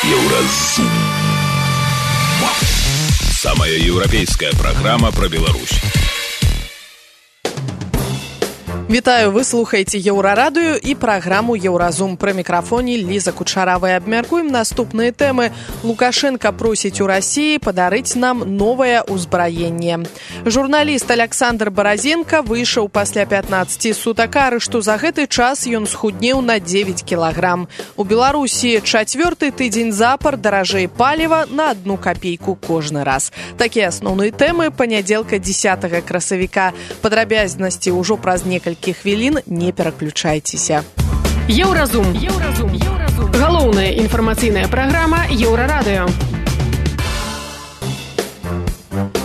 Еўразум. Самая еўрапейская программа про Беларусь. Вітаю, вы слухаеце Еўрарадыё і праграму Еўразум. Пры мікрафоне Ліза Кучаравая. Абмяркуем наступныя тэмы. Лукашенко просіць у Расіі падарыць нам новае ўзбраенне. Журналіст Александр Баразенко выйшаў пасля 15 сутак арышту. За гэты час ён схуднеў на 9 кілаграм. У Беларусі чацвёрты тыдзень запар даражэй паліва на 1 капейку кожны раз. Такія асноўныя тэмы панядзелка 10 красавіка. Падрабязнасці ўжо праз некалькі хвілін, не пераключайцеся. Еўразум. Галоўная інфармацыйная праграма Еўрарадыё.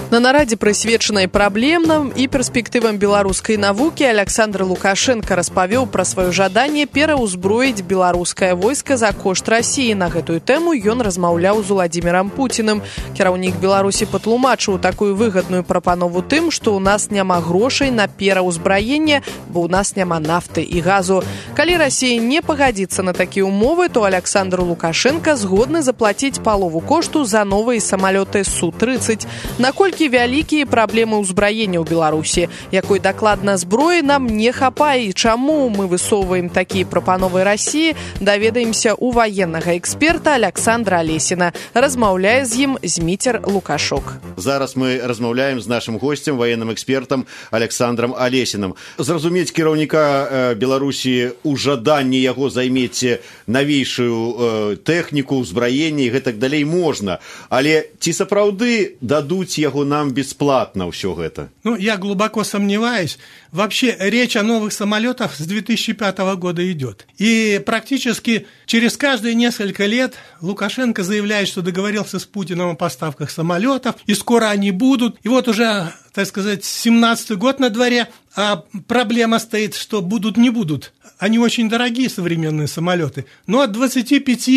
На нарадзе, прысвечанай праблемам і перспектывам беларускай навукі, Александр Лукашенко распавёў пра сваё жаданне пераўзброіць беларускае войска за кошт Расіі. На гэтую тэму ён размаўляў з Уладзімірам Пуціным. Кіраўнік Беларусі патлумачыў такую выгадную прапанову тым, што ў нас няма грошай на пераўзбраенне, бо ў нас няма нафты і газу. Калі Расія не пагадзіцца на такія ўмовы, то Александр Лукашенко згодны заплаціць палову кошту за новыя самалёты Су-30. Наколькі вялікія праблемы ўзбраення ў Беларусі, якой дакладна зброі нам не хапае і чаму мы высоўваем такія прапановы Расіі, даведаемся у ваеннага эксперта Александра Алесіна. Размаўляе з ім Зміцер Лукашок. Зараз мы размаўляем з нашым госцем, военным экспертам Александром Алесіным. Зразумець кіраўніка Беларусі у жаданні яго займець навейшую тэхніку, ўзбраенне і гэтак далей можна. Але ці сапраўды дадуць яго нам бесплатно все это? Я глубоко сомневаюсь. Вообще речь о новых самолетах с 2005 года идет. И практически через каждые несколько лет Лукашенко заявляет, что договорился с Путиным о поставках самолетов, и скоро они будут. И вот уже, так сказать, 17-й год на дворе, а проблема стоит, что будут, не будут. Они очень дорогие, современные самолеты. Но от 25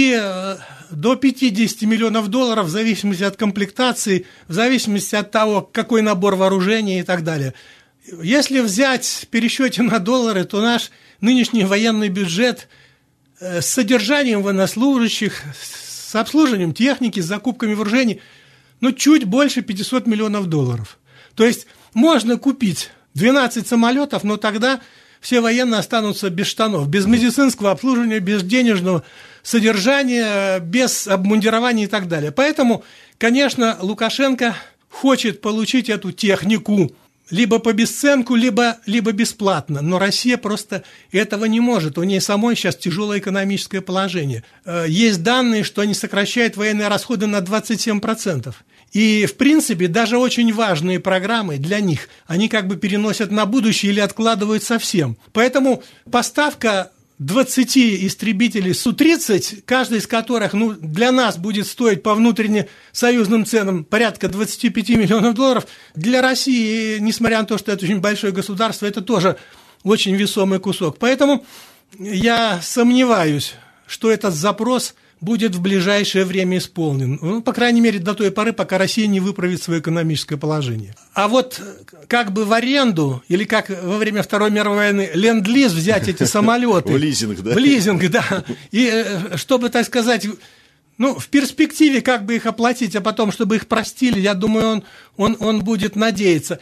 до 50 миллионов долларов в зависимости от комплектации, в зависимости от того, какой набор вооружения и так далее. Если взять в пересчете на доллары, то наш нынешний военный бюджет с содержанием военнослужащих, с обслуживанием техники, с закупками вооружений, чуть больше 500 миллионов долларов. То есть можно купить 12 самолетов, но тогда все военные останутся без штанов, без медицинского обслуживания, без денежного содержания, без обмундирования и так далее. Поэтому, конечно, Лукашенко хочет получить эту технику либо по бесценку, либо бесплатно. Но Россия просто этого не может. У нее самой сейчас тяжелое экономическое положение. Есть данные, что они сокращают военные расходы на 27%. И, в принципе, даже очень важные программы для них, они как бы переносят на будущее или откладывают совсем. Поэтому поставка 20 истребителей Су-30, каждый из которых для нас будет стоить по внутреннесоюзным ценам порядка 25 миллионов долларов, для России, несмотря на то, что это очень большое государство, это тоже очень весомый кусок. Поэтому я сомневаюсь, что этот запрос будет в ближайшее время исполнен. По крайней мере, до той поры, пока Россия не выправит свое экономическое положение. А вот как бы в аренду, или как во время Второй мировой войны, ленд-лиз взять эти самолеты. В лизинг, да? В лизинг, да. И чтобы, так сказать, в перспективе как бы их оплатить, а потом, чтобы их простили, я думаю, он будет надеяться.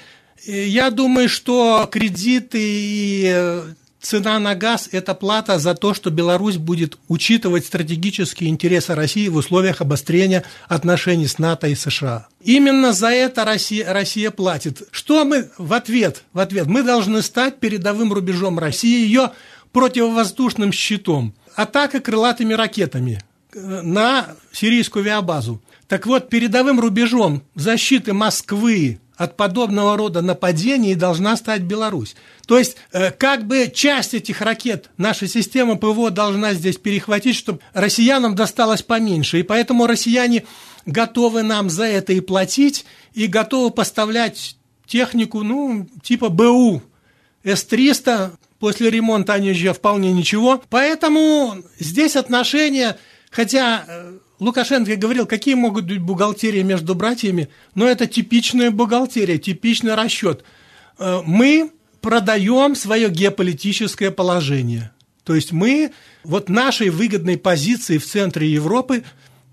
Я думаю, что кредиты и цена на газ – это плата за то, что Беларусь будет учитывать стратегические интересы России в условиях обострения отношений с НАТО и США. Именно за это Россия платит. Что мы в ответ? Мы должны стать передовым рубежом России, ее противовоздушным щитом. Атака крылатыми ракетами на сирийскую авиабазу. Так вот, передовым рубежом защиты Москвы от подобного рода нападений должна стать Беларусь. То есть, как бы часть этих ракет наша система ПВО должна здесь перехватить, чтобы россиянам досталось поменьше. И поэтому россияне готовы нам за это и платить, и готовы поставлять технику, типа БУ С-300. После ремонта они еще вполне ничего. Поэтому здесь отношения, хотя Лукашенко говорил, какие могут быть бухгалтерии между братьями, но это типичная бухгалтерия, типичный расчет. Мы продаем свое геополитическое положение. То есть мы вот нашей выгодной позиции в центре Европы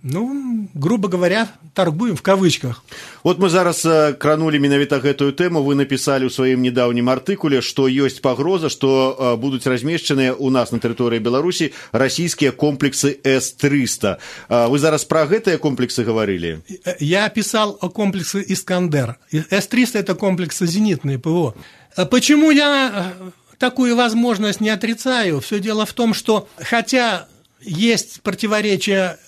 грубо говоря, торгуем в кавычках. Вот мы зараз кранули менавіта гэтую тэму. Вы написали ў сваім недаўнім артыкуле, што ёсць пагроза, што будуць размешчаныя ў нас на тэрыторыі Беларусі расійскія комплексы С-300. Вы зараз пра гэтыя комплексы говорили? Я писал о комплексе «Искандер». С-300 – это комплексы зенитные ПВО. Почему я такую возможность не отрицаю? Все дело в том, что хотя есть противоречия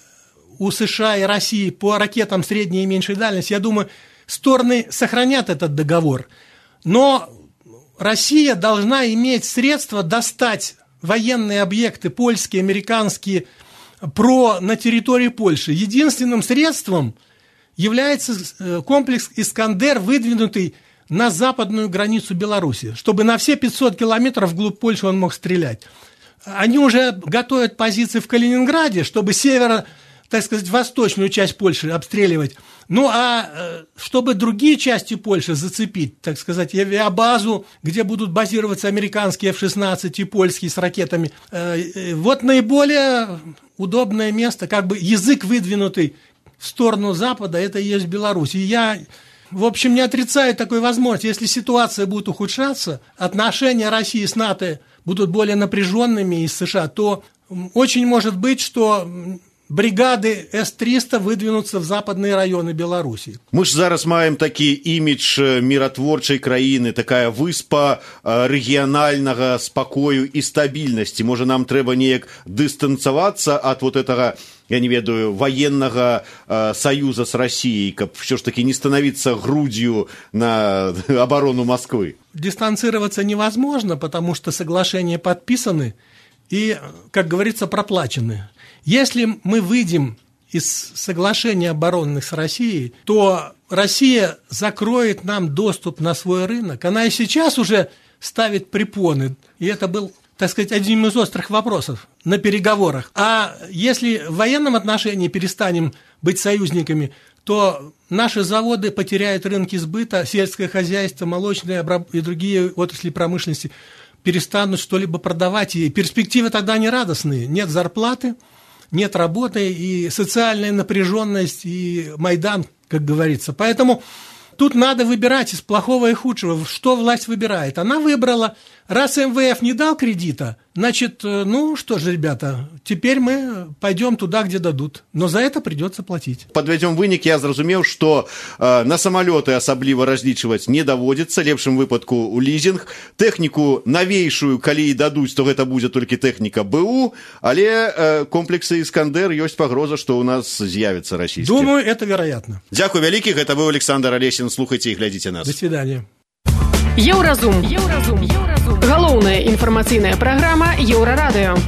у США и России по ракетам средней и меньшей дальности, я думаю, стороны сохранят этот договор. Но Россия должна иметь средства достать военные объекты польские, американские, на территории Польши. Единственным средством является комплекс «Искандер», выдвинутый на западную границу Беларуси, чтобы на все 500 километров вглубь Польши он мог стрелять. Они уже готовят позиции в Калининграде, чтобы восточную часть Польши обстреливать. Чтобы другие части Польши зацепить, авиабазу, где будут базироваться американские F-16 и польские с ракетами, вот наиболее удобное место, язык выдвинутый в сторону Запада, это и есть Беларусь. И я, в общем, не отрицаю такой возможности. Если ситуация будет ухудшаться, отношения России с НАТО будут более напряженными из США, то очень может быть, что бригады С-300 выдвинуцца в западные районы Беларусі. Мы ж зараз маем такі імідж міратворчай краіны, такая выспа рэгіянальнага спакою і стабільнасці. Можа, нам трэба неяк дыстанцавацца ад вот этого, я не ведаю, военного союза с Россией, каб все ж таки не становиться грудью на оборону Москвы? Дистанцироваться невозможно, потому что соглашения подписаны и, как говорится, проплачены. Если мы выйдем из соглашения оборонных с Россией, то Россия закроет нам доступ на свой рынок. Она и сейчас уже ставит препоны, и это был, одним из острых вопросов на переговорах. А если в военном отношении перестанем быть союзниками, то наши заводы потеряют рынки сбыта, сельское хозяйство, молочное и другие отрасли промышленности перестанут что-либо продавать, и перспективы тогда не радостные. Нет зарплаты, нет работы, и социальная напряженность, и Майдан, как говорится. Поэтому тут надо выбирать из плохого и худшего. Что власть выбирает? Она выбрала, раз МВФ не дал кредита, значит, что же, ребята, теперь мы пойдем туда, где дадут. Но за это придется платить. Подведем вынік, я зразумеў, што на самолеты асабліва разлічваць не даводзіцца, лепшым выпадку у лізінг. Тэхніку навейшую, калі і дадуць, то гэта будзе толькі тэхніка БУ, але комплексы «Искандер» ёсць пагроза, што ў нас з'явіцца расійскі. Думаю, это вероятно. Дзякуй вялікі, гэта быў Александр Алесін. Слухайце і глядзіце нас. До свидания. Еўразум. Галоўная інфармацыйная праграма Еўрарадыё.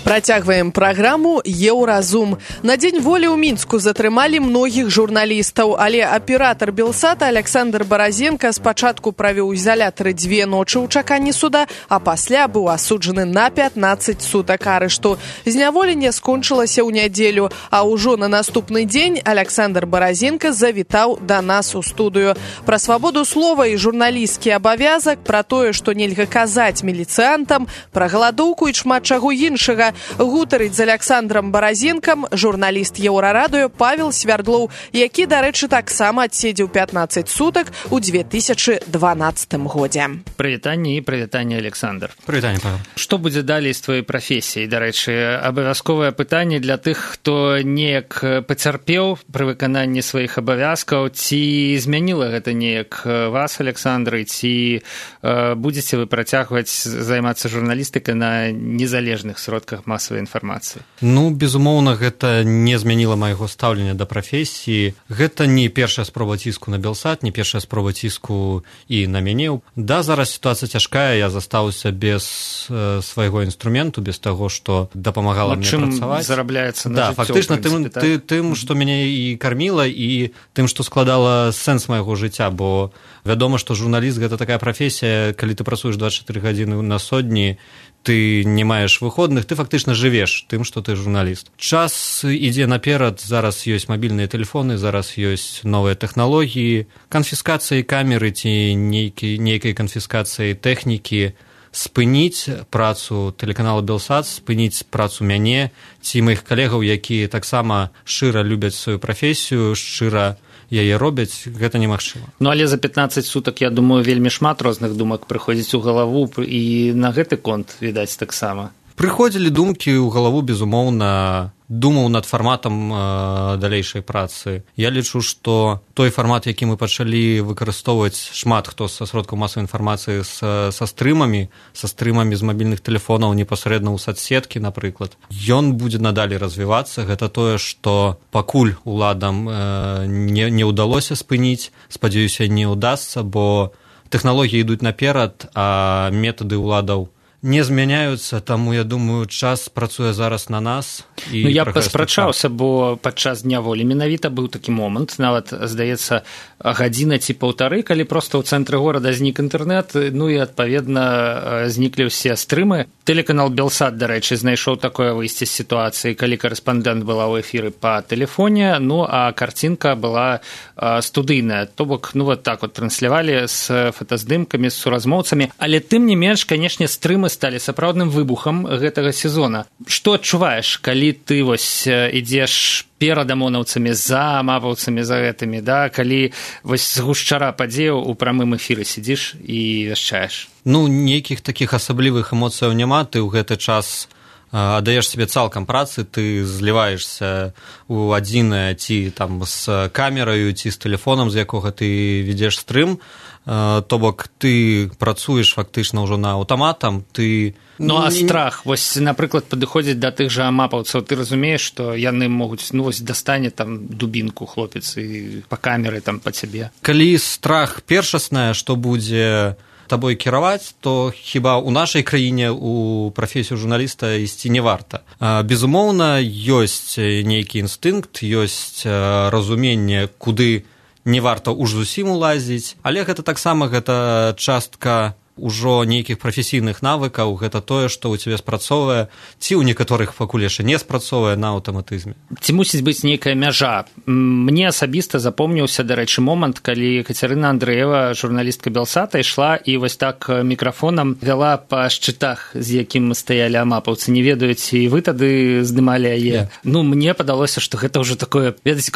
Працягваем праграму «Еўразум». На дзень волі ў Мінску затрымалі многіх журналістаў, але аператар Белсата Александр Баразенко спачатку правёў у ізалятары 2 ночы ў чаканні суда, а пасля быў асуджаны на 15 сутак арышту. Зняволенне скончылася ў нядзелю, а ўжо на наступны дзень Александр Баразенко завітаў да нас у студыю. Пра свабоду слова і журналісцкі абавязак, пра тое, што нельга казаць міліцыянтам, пра галадоўку і шмат чаго іншага гутарыць з Александром Баразенкам журналіст Еўрарадыё Павел Свярдлоў, які, дарэчы, таксама адседзеў 15 сутак у 2012 годзе. Прывітанне і прывітанне, Александр. Прывітанне, Павел. Што будзе далей з твоей прафесіяй? Дарэчы, абавязковае пытанне для тых, хто неяк пацярпеў пры выкананні сваіх абавязкаў. Ці змяніла гэта неяк вас, Александр, ці будзеце вы працягваць займацца журналістыкай на незалежных сродках масавай інфармацыі? Безумоўна, гэта не змяніла майго стаўлення да прафесіі. Гэта не першая спроба ціску на Белсат, не першая спроба ціску і на мяне. Да, зараз сітуацыя цяжкая, я застаўся без свайго інструменту, без таго, што дапамагала мне працаваць. Чым зарабляецца на жыццё? Фактычна тым, што мяне і карміла, і тым, што складала сэнс майго жыцця, бо вядома, што журналіст гэта такая прафесія, калі ты працуеш 24 гадзіны на сотні, ты не маеш выходных, ты фактычна жывеш тым, што ты журналіст. Час ідзе наперад, зараз ёсць мабільныя тэлефоны, зараз ёсць новыя тэхналогіі, канфіскацыі камеры ці нейкай канфіскацыі тэхнікі спыніць працу тэлеканала Белсат, спыніць працу мяне ці маіх калегаў, якія таксама шчыра любяць сваю прафесію, шчыра яе робяць, гэта немагчыма. Ну, але за 15 сутак, я думаю, вельмі шмат розных думак прыходзіць у галаву, і на гэты конт, відаць, таксама. Прыходзілі думкі ў галаву, безумоўна, думаў над фарматам далейшай працы. Я лічу, што той фармат, які мы пачалі выкарыстоўваць шмат хто са сродкаў масавай інфармацыі са стрымамі з мабільных тэлефонаў непасрэдна ў соцсеткі, напрыклад, ён будзе надалей развівацца. Гэта тое, што пакуль уладам не ўдалося спыніць, спадзяюся, не ўдасца, бо тэхналогіі ідуць наперад, а метады ўладаў не змяняюцца, таму, я думаю, час працуе зараз на нас. Ну, я паспрачаўся, бо падчас дня волі менавіта быў такі момант, нават, здаецца, гадзіна ці паўтары, калі проста ў цэнтры горада знік інтэрнэт, ну і, адпаведна, зніклі ўсе стрымы. Тэлеканал Белсат, дарэчы, знайшоў такое выйсце з сітуацыі, калі карэспандэнт была ў эфіры па тэлефоне, ну, а карцінка была студыйная. То бок, ну, вот так вот транслявалі з фотаздымкамі, з суразмоўцамі, але тым не менш, канешне, стрымы сталі сапраўдным выбухам гэтага сезона. Што адчуваеш, калі ты вось ідзеш перад амонаўцамі, за мапаўцамі, за гэтымі, да? Калі вось з гушчара падзеяў у прамым эфіры сидзіш і вяшчаеш? Ну, нейкіх такіх асаблівых эмоцыяў няма, ты ў гэты час аддаеш сябе цалкам працы, ты зліваешся ў адзінае ці там з камераю, ці з тэлефонам, з якога ты ведзеш стрым, то бок ты працуеш фактычна ўжо на аўтаматам, ты... Ну, а страх, вось, напрыклад, падыходзіць да тых жа мапаўцаў, ты разумееш, што яны могуць, ну, вось, дастане там дубінку хлопец і па камеры там па цябе. Калі страх першаснае, што будзе табой кіраваць, то хіба ў нашай краіне у прафесію журналіста ісці не варта. Безумоўна, ёсць нейкі інстынкт, ёсць разуменне, куды не варта уж зусім улазіць, але гэта таксама гэта частка ўжо нейкіх прафесійных навыкаў, гэта тое, што ў цябе спрацоўвае, ці ў некаторых пакуль яшчэ не спрацоўвае на аўтаматызме. Ці мусіць быць нейкая мяжа? Мне асабіста запомніўся, дарэчы, момант, калі Кацярына Андрэева, журналістка Белсата, ішла і вось так мікрафонам вяла па шчытах, з якім стаялі амапаўцы. Не ведаю, ці вы тады здымалі яе. Ну, мне падалося, што гэта ўжо такое, ведаеце,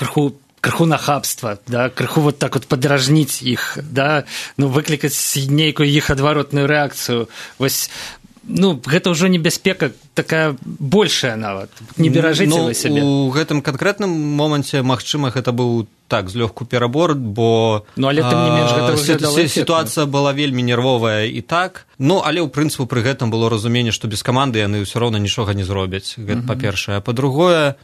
крыху нахабства, да, крыху вот так вот падражніць іх, да, ну, выклікаць нейкую іх адваротную рэакцыю. Вось, ну, гэта ўжо небяспека такая большая нават. Не беражыце вы сябе. У гэтым канкрэтным моманце, магчыма, гэта быў так, злёгку перабор, бо... Ну, але тым не менш гэта выглядала эфектна. Сітуацыя была вельмі нервовая і так, ну, але, ў прынцыпу, пры гэтым было разуменне, што без каманды яны ўсё роўна нічога не зробяць. Гэта па-першае. А па-другое,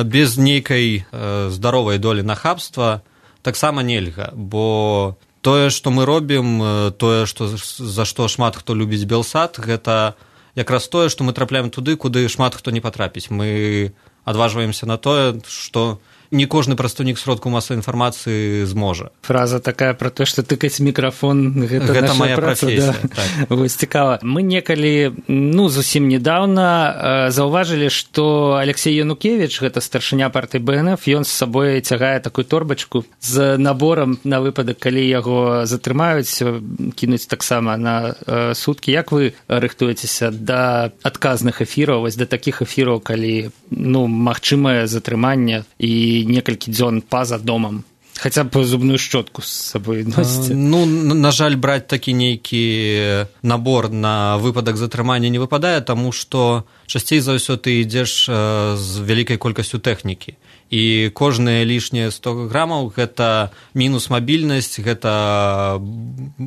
без нейкай здаровай долі нахабства таксама нельга, бо тое, што мы робім, тое, за што шмат хто любіць Белсат, гэта якраз тое, што мы трапляем туды, куды шмат хто не патрапіць. Мы адважваемся на тое, што не кожны прадстаўнік сродкаў масавай інфармацыі зможа. Фраза такая пра тое, што тыкаць мікрафон, гэта наша моя праца, прафесія. Да. Так. Вось цікава. Мы некалі, ну, зусім недаўна заўважылі, што Алексей Янукевіч, гэта старшыня партыі БНФ, ён з сабой цягае такую торбачку з наборам на выпадак, калі яго затрымаюць, кінуць таксама на суткі. Як вы рыхтуецеся да адказных эфіраў, вось да такіх эфіраў, калі, ну, магчымае затрыманне і некалькі дзён па-за домам? Хаця б зубную шчотку з сабой носіце? Ну, на жаль, браць такі нейкі набор на выпадак затрымання не выпадае, таму што часцей за ўсё ты ідзеш з вялікай колькасцю тэхнікі. І кожныя лішнія 100 грамаў – гэта мінус мабільнасць, гэта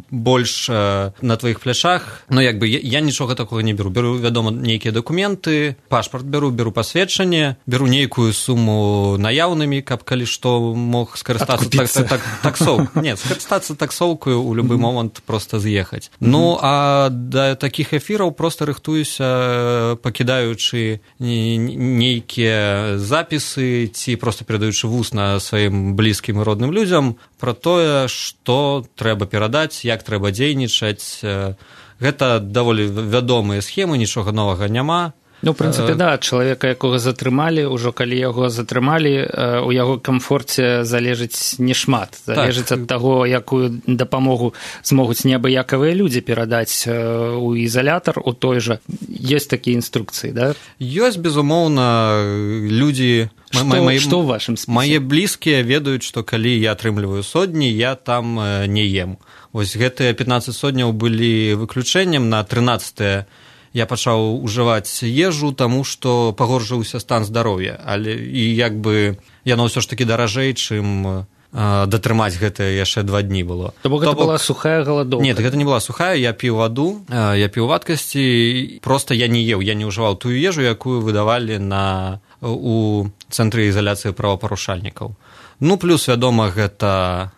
больш на тваіх плячах. Ну, як бы, я нічога такога не беру. Беру, вядома, нейкія дакументы, пашпарт беру пасведчанне, беру нейкую суму наяўнымі, каб калі што мог скарыстацца таксоўкай. Не, скарыстацца таксоўкаю ў любы момант проста з'ехаць. Ну, а да такіх эфіраў проста рыхтуюся, пакідаючы нейкія запісы ці проста перадаючы вусна сваім блізкім і родным людзям пра тое, што трэба перадаць, як трэба дзейнічаць. Гэта даволі вядомыя схемы, нічога новага няма. Ну, в прынцыпе, да, чалавека, якога затрымалі, ужо калі яго затрымалі, у яго камфорце залежыць не шмат. Залежыць ад таго, якую дапамогу змогуць неабыякавыя людзі перадаць у ізалятар, у той жа. Ёсць такія інструкцыі, да? Ёсць, безумоўна, людзі... Што ў вашым спісе? Мае блізкія ведаюць, што калі я атрымліваю сотні, я там не ем. Вось гэтыя 15 сотняў былі выключэннем, на 13-е я пачаў ужываць ежу, таму што пагоршыўся стан здароўя, але і як бы яно ўсё ж такі даражэй, чым датрымаць гэта яшчэ 2 дні было. То бок гэта была сухая галадоўка? Нет, гэта не была сухая, я піў ваду, я піў вадкасці, проста я не еў, я не ўжываў тую ежу, якую выдавалі у цэнтры ізаляцыі правапарушальнікаў. Ну, плюс, вядома, гэта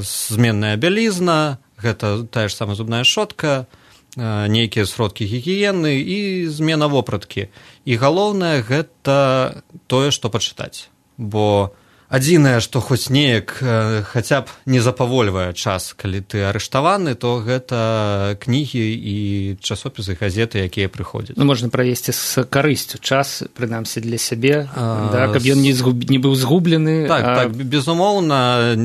зменная бялізна, гэта тая ж самая зубная шчотка, нейкія сродкі гігіены і змена вопраткі. І галоўнае гэта тое, што пачытаць. Бо адзінае, што хоць неяк хаця б не запавольвае час, калі ты арыштаваны, то гэта кнігі і часопісы, газеты, якія прыходзяць. Ну, можна правесці з карысцю час, прынамсі для сябе, да, каб ён не быў згублены. Так, безумоўна,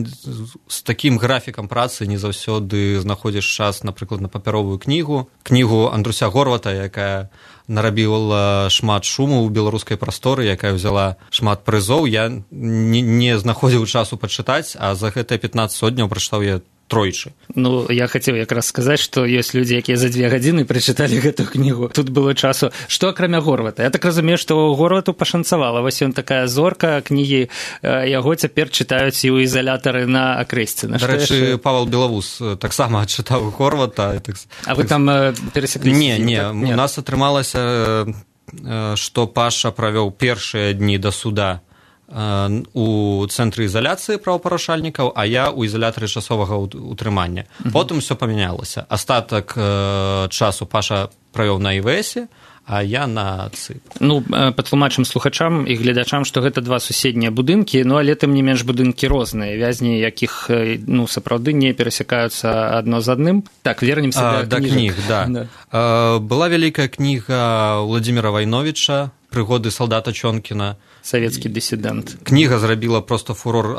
з такім графікам працы не заўсёды знаходзіш час, напрыклад, на папяровую кнігу Андруся Горвата, якая нарабіла шмат шуму ў беларускай прасторы, якая взяла шмат прызоў. Я не знаходзіў часу пачытаць, а за гэтыя 15 сотняў прачытаў я тройчы. Ну, я хацеў якраз сказаць, што ёсць людзі, якія за 2 гадзіны прачыталі гэту кнігу. Тут было часу. Што акрамя Горвата? Я так разумею, што Горвату пашанцавала. Вось ён такая зорка, кнігі яго цяпер чытаюць і ў ізалятары на Акрэсці. Дарэчы, Павел Белавус таксама чытаў Горвата. А вы там перасекліся? Не. У нас атрымалася, што Паша правёў першыя дні да суда у цэнтры ізаляцыі правапарушальнікаў, а я ў ізалятары часовага утрымання. Потым усё памянялася. Астатак часу Паша правёў на ІВС, а я на ЦИП. Ну, патлумачым слухачам і гледачам, што гэта 2 суседнія будынкі, ну, але тым не менш будынкі розныя, вязні якіх, ну, сапраўды не перасякаюцца адно з адным. Так, вернемся да кніг. Да. Была вялікая кніга Владзіміра Вайновіча «Прыгоды салдата Чонкіна». Савецкі дысідэнт. Кніга зрабіла проста фурор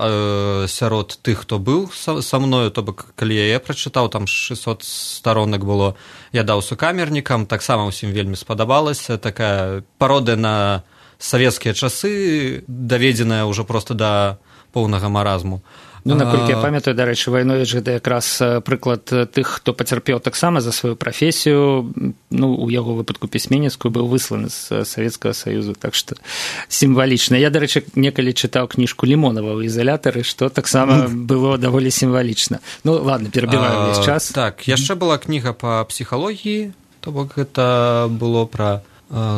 сярод тых, хто быў са мною, то бок, калі я яе прачытаў, там 600 старонак было, я даў сукамернікам, таксама ўсім вельмі спадабалася, такая пародыя на савецкія часы, даведзеная ўжо проста да поўнага маразму. Ну, наколькі я памятаю, дарэчы, Вайновіч гэта якраз прыклад тых, хто пацярпеў таксама за сваю прафесію, ну, у яго выпадку пісьменніцкую, быў высланы з Савецкага Саюзу, так што сімвалічна. Я, дарэчы, некалі чытаў кніжку Лімонава ў ізалятары, што таксама было даволі сімвалічна. Ну, ладно, перабіваю ўвесь час. Так, яшчэ была кніга па псіхалогіі, то бок гэта было пра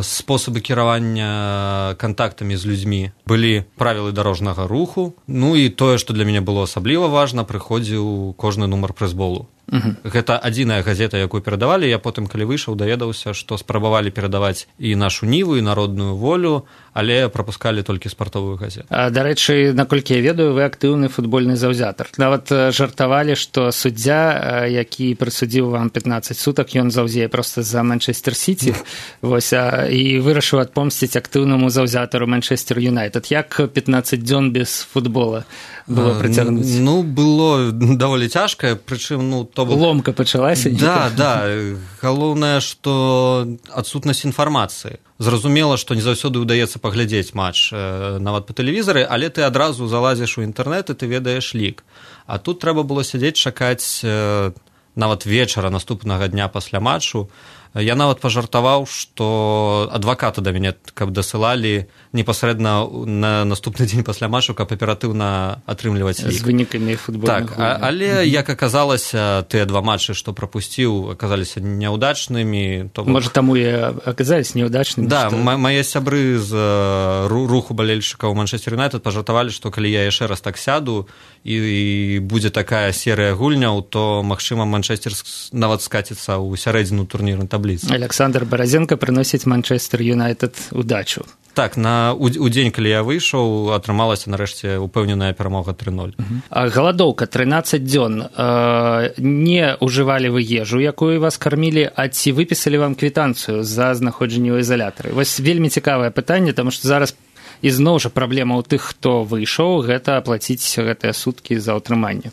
спосабы кіравання кантактамі з людзьмі. Былі правілы дарожнага руху, ну і тое, што для мяне было асабліва важна, прыходзіў кожны нумар прызболу. Гэта адзіная газета, якую перадавалі. Я потым, калі выйшаў, даведаўся, што спрабавалі перадаваць і нашу Ніву, і народную волю, але прапускалі толькі спартовую газету. Дарэчы, наколькі я ведаю, вы актыўны футбольны заўзятар. Нават жартавалі, што суддзя, які прысудзіў вам 15 сутак, ён заўзее проста за Манчестер Сіці, вось, і вырашыў адпомсціць актыўнаму заўзятару Манчестер Юнайтед. Як 15 дзён без футбола было прыцягнуць? Ну, было даволі цяжка, прычым, ну, ломка пачалася. Да. Галоўнае, што адсутнасць інфармацыі. Зразумела, што не заўсёды ўдаецца паглядзець матч нават па тэлевізары, але ты адразу залазіш у інтэрнэт і ты ведаеш лік. А тут трэба было сядзець, чакаць нават вечара наступнага дня пасля матчу. Я нават пажартаваў, што адваката да мяне, каб дасылалі непасрэдна на наступны дзень пасля матчу, каб аператыўна атрымліваць лік. З вынікамі футбольных гульняў. Так, але, як аказалася, тыя 2 матчы, што прапусціў, аказаліся няўдачнымі. Можа, таму і аказаліся няўдачнымі? Да, мае сябры з руху балельшчыкаў Манчестер Юнайтед пажартавалі, што калі я яшчэ раз так сяду і будзе такая серыя гульняў, то, магчыма, Манчестер нават скаціцца ў сярэдзіну турнірнай табліцы. Александр Баразенко прыносіць Манчестер Юнайтед удачу. Так, у дзень, калі я выйшаў, атрымалася нарэшце упэўненая перамога 3-0. Галадоўка 13 дзён. Не ўжывалі вы ежу, якую вас кармілі, а ці выпісалі вам квітанцыю за знаходжанне ў ізалятары? Вось вельмі цікавае пытанне, таму што зараз ізноў жа праблема ў тых, хто выйшаў, гэта аплаціць гэтыя суткі за ўтрыманне.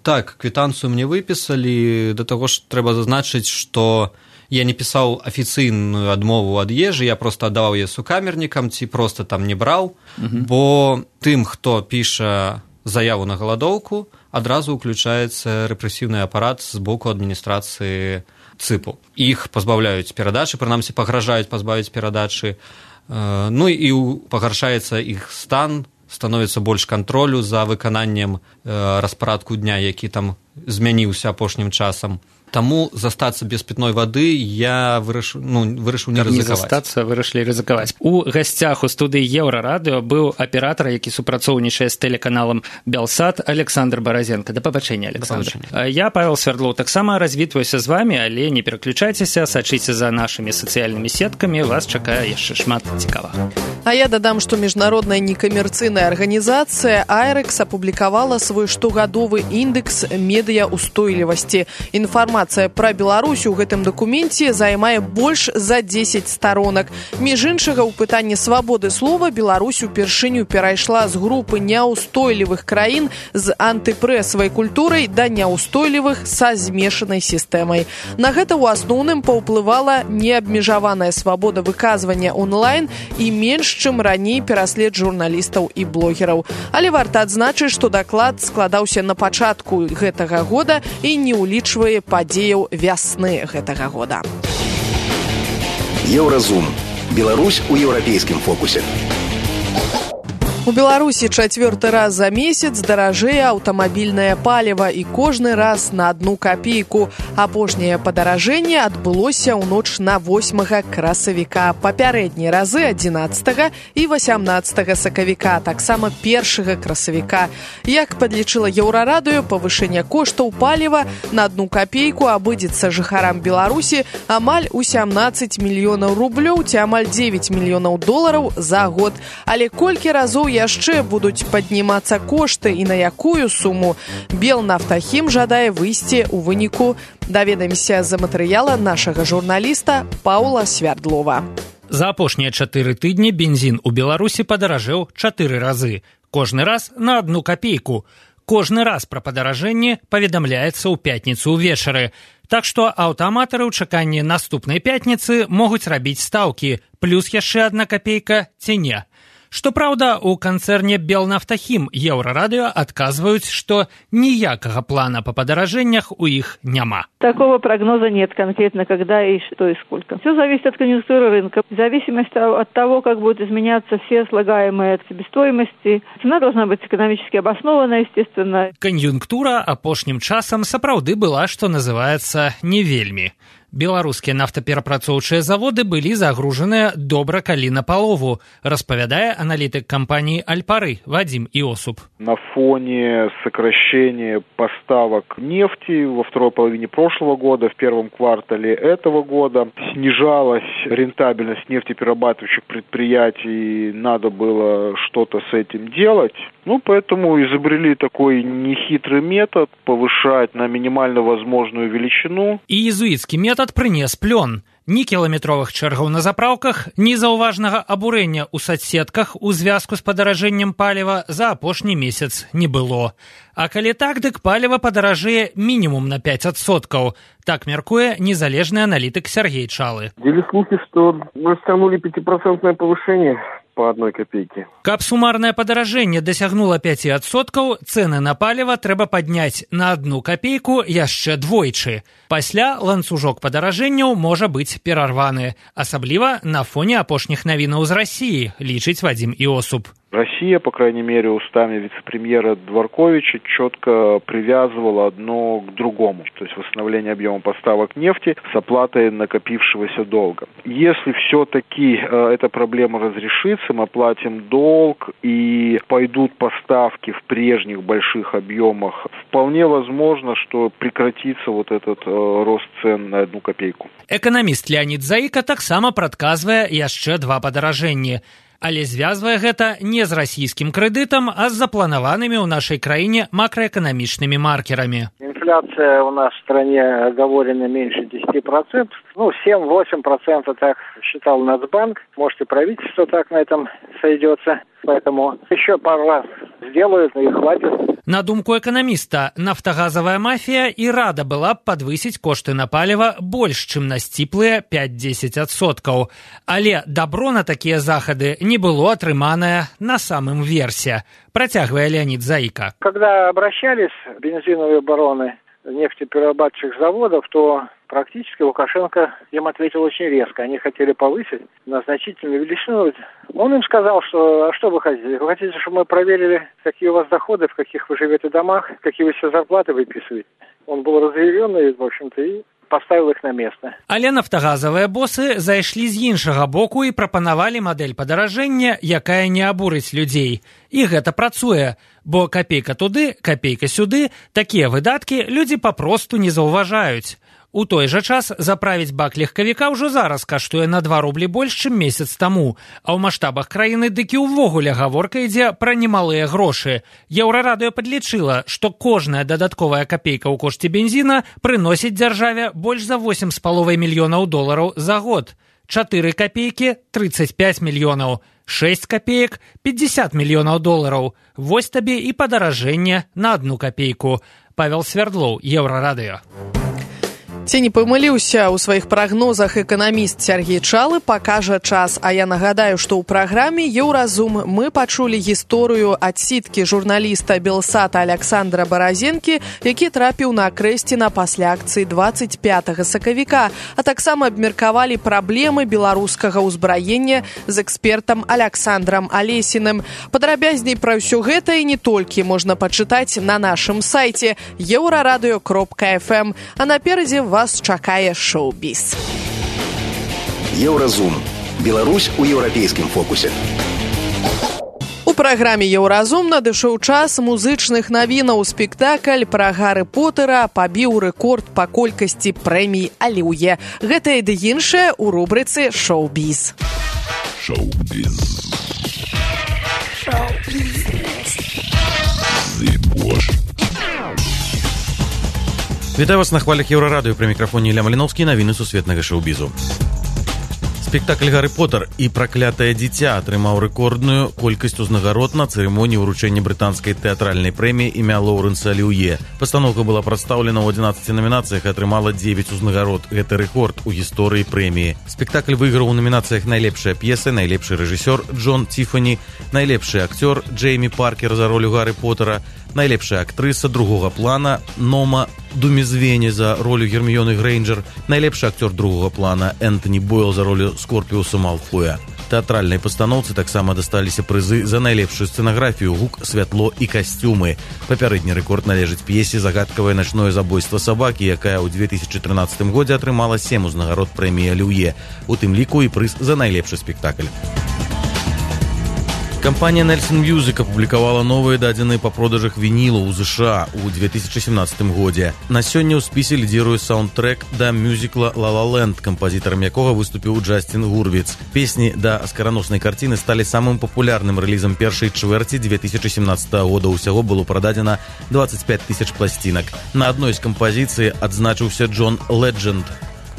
Так, квітанцыю мне выпісалі, да таго ж трэба зазначыць, што я не пісаў афіцыйную адмову ад ежы, я проста аддаваў яе сукамернікам ці проста там не браў, бо тым, хто піша заяву на галадоўку, адразу ўключаецца рэпрэсіўны апарат з боку адміністрацыі ЦИПу. Іх пазбаўляюць перадачы, прынамсі пагражаюць пазбавіць перадачы, ну і пагаршаецца іх стан, становіцца больш кантролю за выкананнем распарадку дня, які там змяніўся апошнім часам. Таму застацца без пітной вады я вырашыў не рызыкаваць. Не застацца, вырашылі рызыкаваць. У гасцях у студыі Еўрарадыё быў аператар, які супрацоўнічае з тэлеканалам Белсат, Александр Баразенко. Да пабачэння, Александр. Я, Павел Свердлоў, таксама развітваюся з вамі, але не пераключайцеся, сачыце за нашымі сацыяльнымі сеткамі, вас чакае яшчэ шмат цікавага. А я дадам, што міжнародная некамерцыйная арганізацыя IREX апублікавала свой штогадовы індекс медыяустойлівасці. Інфармацыя пра Беларусь у гэтым дакуменце займае больш за 10 старонак. Між іншага, у пытанні свабоды слова Беларусь упершыню перайшла з групы няўстойлівых краін з антыпрэсавай культурай да няўстойлівых са змешанай сістэмай. На гэта ў асноўным паўплывала неабмежаваная свабода выказвання онлайн і менш, чым раней пераслед журналістаў і блогераў. Але варта адзначыць, што даклад складаўся на пачатку гэтага года і не ўлічвае падзеяў вясны гэтага года. Еўразум. Беларусь у еўрапейскім фокусе. У Беларусі чацвёрты раз за месяц даражэе аўтамабільнае паліва і кожны раз на 1 капейку. Апошняе падаражэнне адбылося ў ноч на 8 красавіка. Папярэднія разы 11 і 18 сакавіка, таксама 1 красавіка. Як падлічыла Еўрарадыё, павышэнне коштаў паліва на 1 капейку абыдзецца жыхарам Беларусі амаль у 17 мільёнаў рублёў ці амаль 9 мільёнаў долараў за год. Але колькі разоў яшчэ будуць паднімацца кошты і на якую суму? Белнафтахім жадае выйсці ў выніку. Даведаемся з матэрыяла нашага журналіста Паўла Свердлова. За апошнія 4 тыдні бензін у Беларусі падаражэў 4 разы. Кожны раз на 1 капейку. Кожны раз пра падаражэнне паведамляецца ў пятніцу ўвечары. Так што аўтааматары ў чаканні наступнай пятніцы могуць рабіць стаўкі, плюс яшчэ 1 капейка ці не. Што праўда, у канцэрне Белнафтахім Еўрарадыё адказваюць, што ніякага плана па падаражэннях у іх няма. Такого прогноза нет конкретно, когда и что и сколько. Все зависит от конъюнктуры рынка. В зависимости от того, как будут изменяться все слагаемые себестоимости, цена должна быть экономически обоснованная, естественно. Конъюнктура апошнім часам сапраўды была, што называецца, не вельмі. Беларускія нафтаперапрацоўчыя заводы былі загружаныя добра калі напалову, распавядае аналітык кампании «Альпары» Вадим Иосуп. На фоне сокращения поставок нефти во второй половине прошлого года, в первом квартале этого года, снижалась рентабельность нефтеперерабатывающих предприятий, надо было что-то с этим делать. Поэтому изобрели такой нехитрый метод повышать на минимально возможную величину. И иезуитский метод принес плён. Ні кіламетровых чэргаў на запраўках, ні заўважнага абурэння ў соцсетках у звязку з падаражэннем паліва за апошні месяц не было. А калі так, дык паліва падаражэе мінімум на 5%. Так мяркуе незалежны аналітык Сергей Чалы. Были слухи, что мы растянули 5% повышение по 1 копейке. Каб сумарнае падаражэнне дасягнула 5%, цэны на паліва трэба падняць на 1 копейку яшчэ двойчы. Пасля ланцужок падаражэнняў можа быць перарваны, асабліва на фоне апошніх навінаў з России, лічыць Вадим Иосуп. Россия, по крайней мере, устами вице-премьера Дворковича четко привязывала одно к другому. То есть восстановление объема поставок нефти с оплатой накопившегося долга. Если все-таки эта проблема разрешится, мы оплатим долг и пойдут поставки в прежних больших объемах, вполне возможно, что прекратится вот этот рост цен на 1 копейку. Экономист Леонид Заика таксама прадказвае яшчэ 2 падаражэнні. Але звязвае гэта не з расійскім крэдытам, а з запланаванымі ў нашай краіне макраэканамічнымі маркерамі. Инфляция у нас в стране оговорена меньше 10%. 7-8% так считал Нацбанк. Может, и правительство так на этом сойдется. Поэтому еще пару раз сделают, и хватит. На думку эканаміста, нафтагазавая мафія і рада была б падвысіць кошты на паліва больш, чым на сціплыя 5-10%. Але дабро на такія захады не было атрыманае на самым версе. Працягвае Леонид Заика. Когда обращались бензиновые бароны нефтеперерабатывающих заводов, то практически Лукашенко им ответил очень резко. Они хотели повысить на значительную величину. Он им сказал, что, а что вы хотите? Вы хотите, чтобы мы проверили, какие у вас доходы, в каких вы живете домах, какие вы все зарплаты выписываете? Он был разъяренный, в общем-то, и поставил их на место. Але нафтагазавыя босы зайшлі з іншага боку і прапанавалі мадэль падаражэння, якая не абурыць людзей. І гэта працуе, бо капейка туды, капейка сюды, такія выдаткі людзі папросту не заўважаюць. У той жа час заправіць бак легкавіка ўжо зараз каштуе на 2 рублі больш, чым месяц таму, а ў маштабах краіны дык і ўвогуле гаворка ідзе пра немалыя грошы. Еўрарадыё падлічыла, што кожная дадатковая капейка ў кошце бензіна прыносіць дзяржаве больш за $8,5 мільёнаў за год. 4 копейкі – 35 мільёнаў, 6 копеек – 50 мільёнаў долараў. Вось табе і падаражэнне на 1 копейку. Павел Свердлоў, Еўрарадыё. Ці не памыліўся ў сваіх прагнозах эканаміст Сергей Чалы, пакажа час. А я нагадаю, што ў праграме «Еўразум» мы пачулі гісторыю адсідкі журналіста Белсата Александра Баразенкі, які трапіў на Крэсціна пасля акцыі 25 сакавіка, а таксама абмеркавалі праблемы беларускага ўзбраення з экспертам Александрам Алесіным. Падрабязней пра ўсё гэта і не толькі можна пачытаць на нашым сайце euraradыё.fm. А наперадзе вас чакае шоу-біз. Еўразум. Беларусь у еўрапейскім фокусе. У праграме «Еўразум» надышоў час музычных навінаў. Спектакль пра Гарры Поттера пабіў рэкорд па колькасці прэмій «Алілуя». Гэта і ды іншае ў рубрыцы «Шоу-біз». Шоу-біз. Вітаю вас на хвалях Еўрарадыё, пры мікрафоне Ілля Маліноўскі, навіны сусветнага шоу-бізу. Спектакль «Гарры Поттер» і «Праклятае дзіця» атрымаў рэкордную колькасць узнагарод на цырымоніі ўручэння брытанскай тэатральнай прэміі імя Лоўрэнса Аліўе. Пастаноўка была прадстаўлена ў 11 намінацыях і атрымала 9 узнагарод. Гэта рэкорд у гісторыі прэміі. Спектакль выйграў у номінацыях найлепшая п'еса, найлепшы рэжысёр Джон Тифані, найлепшы акцёр Джеймі Паркер за ролю Гарры Поттера, найлепшая актрыса другога плана Нома Думізвені за ролю Герміёны Грэйнджер, найлепшы акцёр другога плана Энтоні Бойл за ролю Скорпіуса Малфоя. Тэатральнай пастаноўцы таксама дасталіся прызы за найлепшую сцэнаграфію, гук, святло і касцюмы. Папярэдні рэкорд належыць п'есе «Загадкавае начное забойство сабакі», якая ў 2013 годзе атрымала 7 узнагарод прэміі Аліўе, у тым ліку і прыз за найлепшы спектакль. Кампанія Nelson Music апублікавала новыя дадзеныя па продажах вінілу ў ЗША ў 2017 годзе. На сёння ў спісе лідзіруе саундтрэк да мюзікла «La La Land», кампазітарам якога выступіў Джастин Гурвіц. Песні да аскараноснай карціны сталі самым папулярным рэлізам першай чвэрці 2017 года. Усяго было прададзена 25 000 пласцінак. На адной з кампазіцый адзначыўся Джон Ледженд.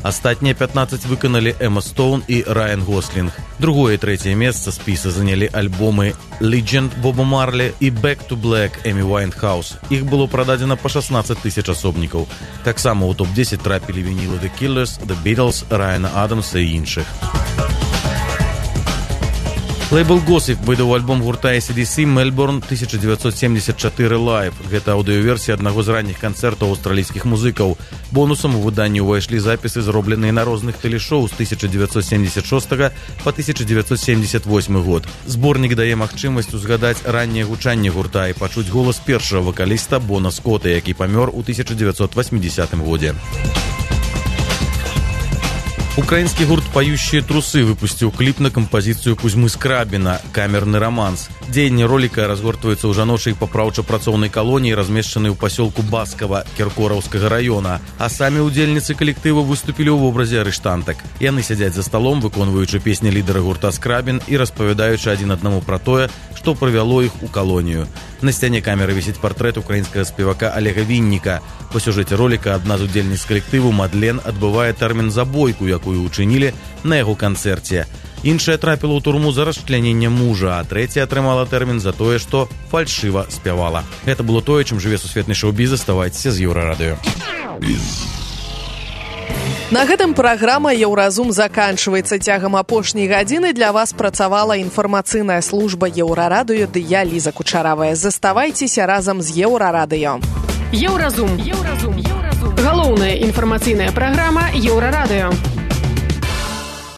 Астатнія 15 выканалі Эмма Стоун і Райан Гослінг. Другое і трэцяе месца спіса занялі альбомы «Legend» Боба Марлі і «Back to Black» Эмі Уайнхаус. Іх было прададзена па 16 000 асобнікаў. Таксама ў топ-10 трапілі вінілы The Killers, The Beatles, Райана Адамса і іншых. Лейбл Gossip выдаў альбом гурта AC/DC «Melbourne 1974 Live». Гэта аўдыёверсія аднаго з ранніх канцэртаў аўстралійскіх музыкаў. Бонусам у выданні ўвайшлі запісы, зробленыя на розных тэлешоў з 1976 па 1978 год. Зборнік дае магчымасць узгадаць ранняе гучанне гурта і пачуць голас першага вакаліста Бона Скотта, які памёр у 1980 годзе. Украінскі гурт «Пающие трусы» выпусціў кліп на кампазіцыю Кузьмы Скрабіна «Камерны романс». Дзеянне роліка разгортваецца ў жаночай папраўча-працоўнай калоніі, размешчанай у пасёлку Баскова Кіркораўскага раёна, а самі ўдзельніцы калектыву выступілі ў вобразе арыштантак. Яны сядзяць за сталом, выконваючы песні лідара гурта Скрабін і распавядаючы адзін аднаму пра тое, што прывяло іх у калонію. На сцяне камеры вісіць партрэт украінскага спевака Олега Вінніка. Па сюжэце роліка адна з удзельніц калектыву Мадлен адбывае тэрмін за бойку, якую учынілі на яго канцэрце. Іншая трапіла ў турму за расчляненне мужа, а трэця атрымала тэрмін за тое, што фальшыва спявала. Гэта было тое, чым жыве сусветны шоу-біз. Заставайцеся з Еўрарадыё. На гэтым праграма «Еўразум» заканчваецца. Цягам апошняй гадзіны для вас працавала інфармацыйная служба Еўрарадыё ды я, Ліза Кучаравая. Заставайцеся разам з Еўрарадыё. Еўразум. Галоўная інфармацыйная праграма Еўрарадыё.